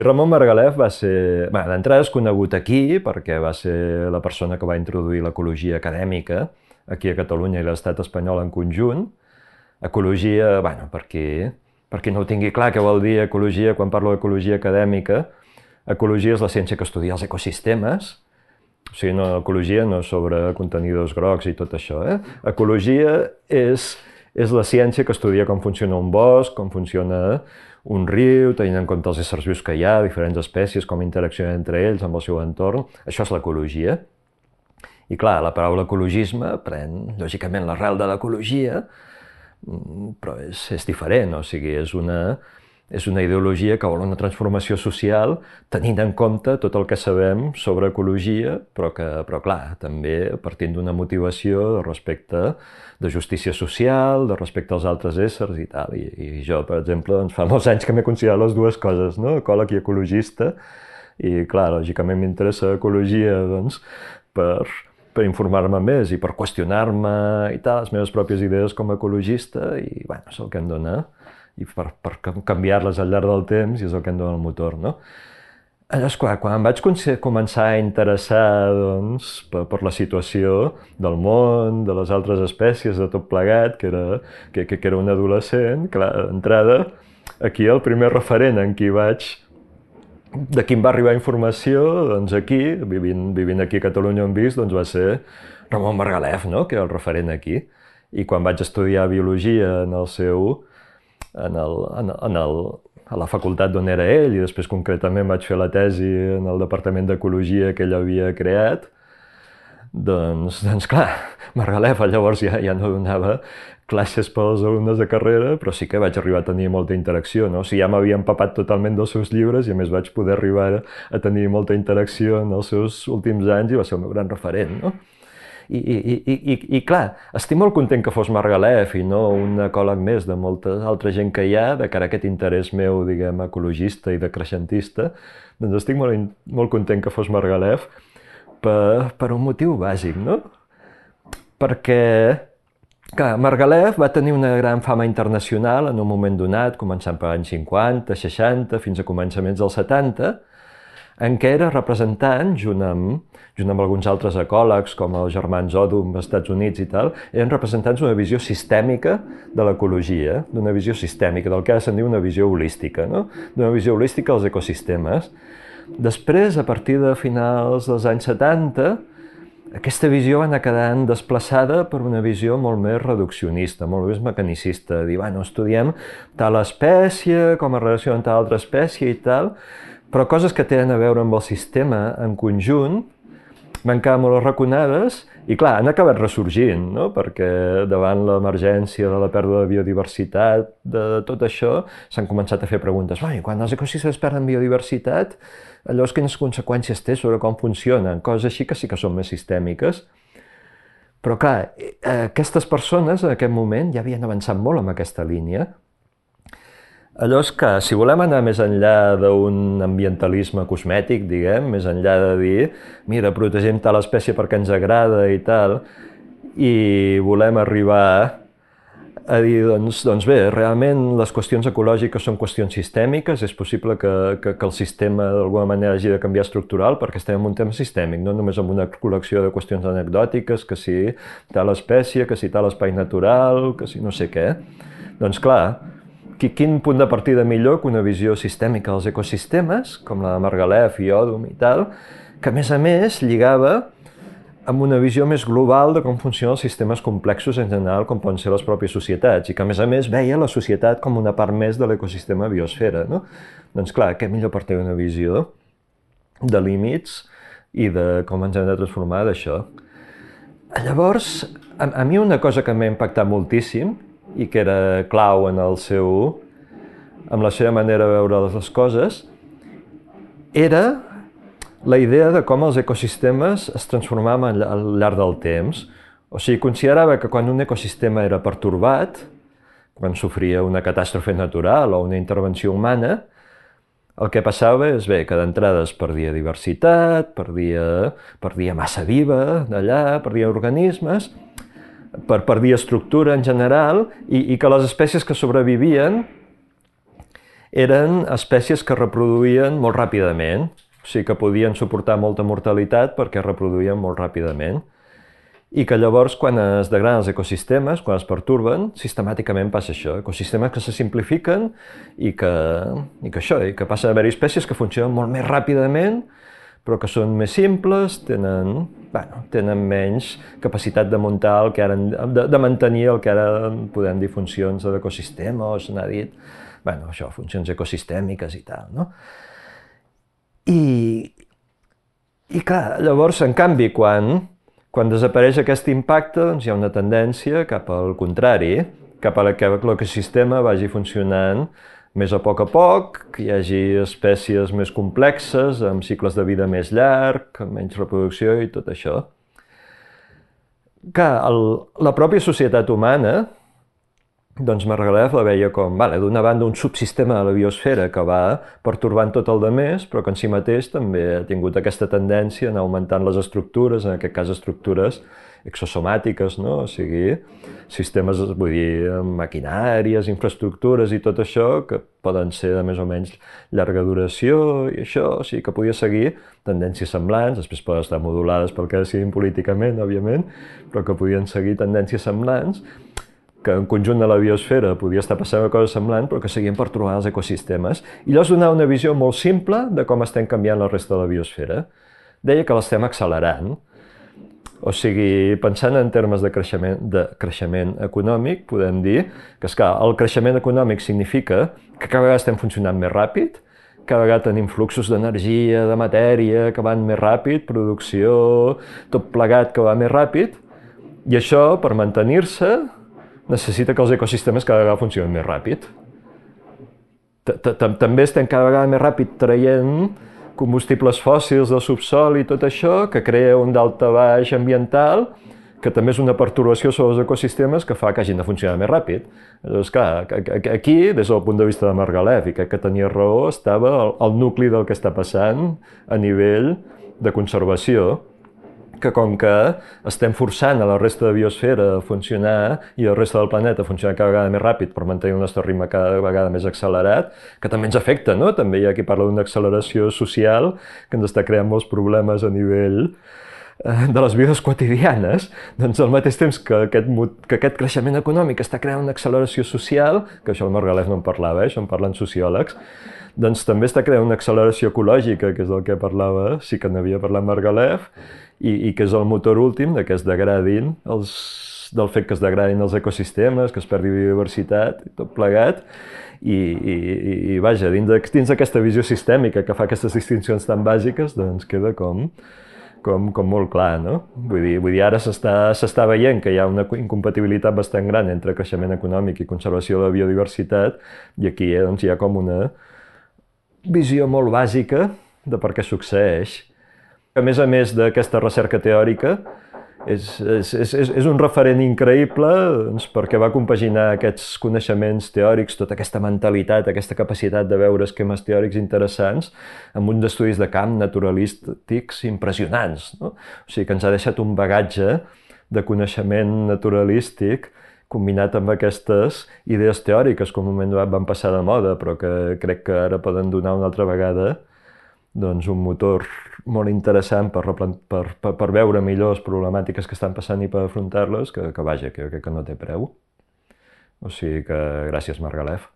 Ramon Margalef va ser... d'entrada és conegut aquí perquè va ser la persona que va introduir l'ecologia acadèmica aquí a Catalunya i l'estat espanyol en conjunt. Ecologia, per qui no ho tingui clar què vol dir ecologia, quan parlo d'ecologia acadèmica, ecologia és la ciència que estudia els ecosistemes, o sigui, no, ecologia no és sobre contenidors grocs i tot això. Ecologia és la ciència que estudia com funciona un bosc, com funciona un riu, tenint en compte els éssers vius que hi ha, diferents espècies, com interaccionen entre ells amb el seu entorn. Això és l'ecologia. I clar, la paraula ecologisme pren, lògicament, l'arrel de l'ecologia, però és diferent, o sigui, és una ideologia que vol una transformació social tenint en compte tot el que sabem sobre ecologia, però clar, també partint d'una motivació de respecte, de justícia social, de respecte als altres éssers i tal. I jo, per exemple, doncs, fa molts anys que m'he considerat les dues coses, no? Ecòleg i ecologista, i clar, lògicament m'interessa ecologia, doncs, per informar-me més i per qüestionar-me i tal, les meves pròpies idees com a ecologista, i bueno, és el que em dona, i per canviar-les al llarg del temps, i és el que em dona el motor, no? Llavors, clar, quan em vaig començar a interessar doncs, per la situació del món, de les altres espècies, de tot plegat, que era un adolescent, clar, d'entrada, aquí el primer referent en qui de qui em va arribar informació, doncs aquí, vivint aquí a Catalunya on visc, doncs va ser Ramon Margalef, no? Que era el referent aquí. I quan vaig estudiar biologia en el seu, a la facultat d'on era ell, i després concretament vaig fer la tesi en el departament d'ecologia que ell havia creat, doncs clar, Margalef llavors ja no donava classes pels alumnes de carrera, però sí que vaig arribar a tenir molta interacció, no? O sigui, ja m'havia empapat totalment dels seus llibres i a més vaig poder arribar a tenir molta interacció en els seus últims anys i va ser el meu gran referent, no? I clar, estic molt content que fos Margalef i no un ecòleg més de molta altra gent que hi ha, de cara a aquest interès meu, diguem, ecologista i decreixentista, doncs estic molt content que fos Margalef per un motiu bàsic, no? Perquè, clar, Margalef va tenir una gran fama internacional en un moment donat, començant per anys 50, 60, fins a començaments dels 70, en què era representant, junt amb alguns altres ecòlegs, com els germans Odum als Estats Units i tal, eren representants d'una visió sistèmica de l'ecologia, d'una visió sistèmica, del que ara se'n diu una visió holística, no? D'una visió holística dels ecosistemes. Després, a partir de finals dels anys 70, aquesta visió va anar quedant desplaçada per una visió molt més reduccionista, molt més mecanicista, dir, bueno, estudiem tal espècie, com es relaciona amb tal altra espècie i tal, però coses que tenen a veure amb el sistema en conjunt van quedar molt arraconades i, clar, han acabat ressorgint, no? Perquè davant l'emergència de la pèrdua de biodiversitat, de tot això, s'han començat a fer preguntes. Quan els ecosistemes perden biodiversitat, llavors quines conseqüències té sobre com funcionen? Coses així que sí que són més sistèmiques. Però, clar, aquestes persones en aquest moment ja havien avançat molt en aquesta línia. Llavors, que si volem anar més enllà d'un ambientalisme cosmètic, diguem, més enllà de dir, mira, protegem tal espècie perquè ens agrada i tal, i volem arribar a dir, doncs bé, realment les qüestions ecològiques són qüestions sistèmiques, és possible que el sistema d'alguna manera hagi de canviar estructural perquè estem en un tema sistèmic, no només en una col·lecció de qüestions anecdòtiques, que si tal espècie, que si tal espai natural, que si no sé què. Doncs clar, quin punt de partida millor que una visió sistèmica dels ecosistemes, com la de Margalef i Odum i tal, que a més lligava amb una visió més global de com funcionen els sistemes complexos en general, com poden ser les pròpies societats, i que a més veia la societat com una part més de l'ecosistema biosfera, no? Doncs clar, què millor per tenir una visió de límits i de com ens hem de transformar d'això. Llavors, a mi una cosa que m'ha impactat moltíssim i que era clau en la seva manera de veure les coses, era la idea de com els ecosistemes es transformaven al llarg del temps. O sigui, considerava que quan un ecosistema era pertorbat, quan sofria una catàstrofe natural o una intervenció humana, el que passava és que d'entrada es perdia diversitat, perdia massa viva d'allà, perdia organismes, perdia estructura en general, i que les espècies que sobrevivien eren espècies que reproduïen molt ràpidament, o sigui que podien suportar molta mortalitat perquè reproduïen molt ràpidament. I que llavors, quan es degraden els ecosistemes, quan es perturben, sistemàticament passa això. Ecosistemes que se simplifiquen i que passen a haver-hi espècies que funcionen molt més ràpidament, però que són més simples, tenen menys capacitat de muntar el que ara, de mantenir el que ara podem dir funcions de l'ecosistema, o se n'ha dit, això, funcions ecosistèmiques i tal, no? I clar, llavors, en canvi, quan desapareix aquest impacte, doncs hi ha una tendència cap al contrari, cap a que l'ecosistema vagi funcionant més a poc, que hi hagi espècies més complexes, amb cicles de vida més llarg, amb menys reproducció i tot això. Clar, la pròpia societat humana, doncs Margalef la veia com, d'una banda, un subsistema de la biosfera que va pertorbant tot el demés, però que en si mateix també ha tingut aquesta tendència a anar augmentant les estructures, en aquest cas estructures exosomàtiques, no? O sigui, sistemes, vull dir, maquinàries, infraestructures i tot això, que poden ser de més o menys llarga duració i això, o sigui que podia seguir tendències semblants, després poden estar modulades pel que decidim políticament, òbviament, però que podien seguir tendències semblants, que en conjunt de la biosfera podia estar passant una cosa semblant, però que seguien pertorbant els ecosistemes. I llavors donava una visió molt simple de com estem canviant la resta de la biosfera. Deia que l'estem accelerant. O sigui, pensant en termes de creixement econòmic, podem dir que, esclar, el creixement econòmic significa que cada vegada estem funcionant més ràpid, cada vegada tenim fluxos d'energia, de matèria, que van més ràpid, producció, tot plegat que va més ràpid, i això, per mantenir-se, necessita que els ecosistemes cada vegada funcionin més ràpid. També estem cada vegada més ràpid traient combustibles fòssils del subsol i tot això, que crea un daltabaix ambiental, que també és una pertorbació sobre els ecosistemes que fa que hagin de funcionar més ràpid. Llavors, clar, aquí, des del punt de vista de Margalef, i crec que tenia raó, estava el nucli del que està passant a nivell de conservació, que com que estem forçant a la resta de biosfera a funcionar i la resta del planeta a funcionar cada vegada més ràpid per mantenir el nostre ritme cada vegada més accelerat, que també ens afecta, no? També hi ha qui parla d'una acceleració social que ens està creant molts problemes a nivell de les vides quotidianes, doncs al mateix temps que aquest creixement econòmic està creant una acceleració social, que això el Margalef no en parlava, això en parlen sociòlegs, doncs també està creant una acceleració ecològica, que és del que parlava, sí que n'havia parlat Margalef, i que és el motor últim de que es degradin, del fet que es degradin els ecosistemes, que es perdi biodiversitat i tot plegat, i vaja, dins d'aquesta visió sistèmica que fa aquestes distincions tan bàsiques, doncs queda com molt clar, no? Vull dir, ara s'està veient que hi ha una incompatibilitat bastant gran entre creixement econòmic i conservació de la biodiversitat, i aquí doncs, hi ha com una visió molt bàsica de per què succeeix. A més d'aquesta recerca teòrica, és un referent increïble doncs, perquè va compaginar aquests coneixements teòrics, tota aquesta mentalitat, aquesta capacitat de veure esquemes teòrics interessants amb uns estudis de camp naturalístics impressionants, no? O sigui que ens ha deixat un bagatge de coneixement naturalístic combinat amb aquestes idees teòriques que en un moment donat van passar de moda, però que crec que ara poden donar una altra vegada doncs, un motor molt interessant per veure millor les problemàtiques que estan passant i per afrontar-les, que vaja, que no té preu. O sigui que gràcies, Margalef.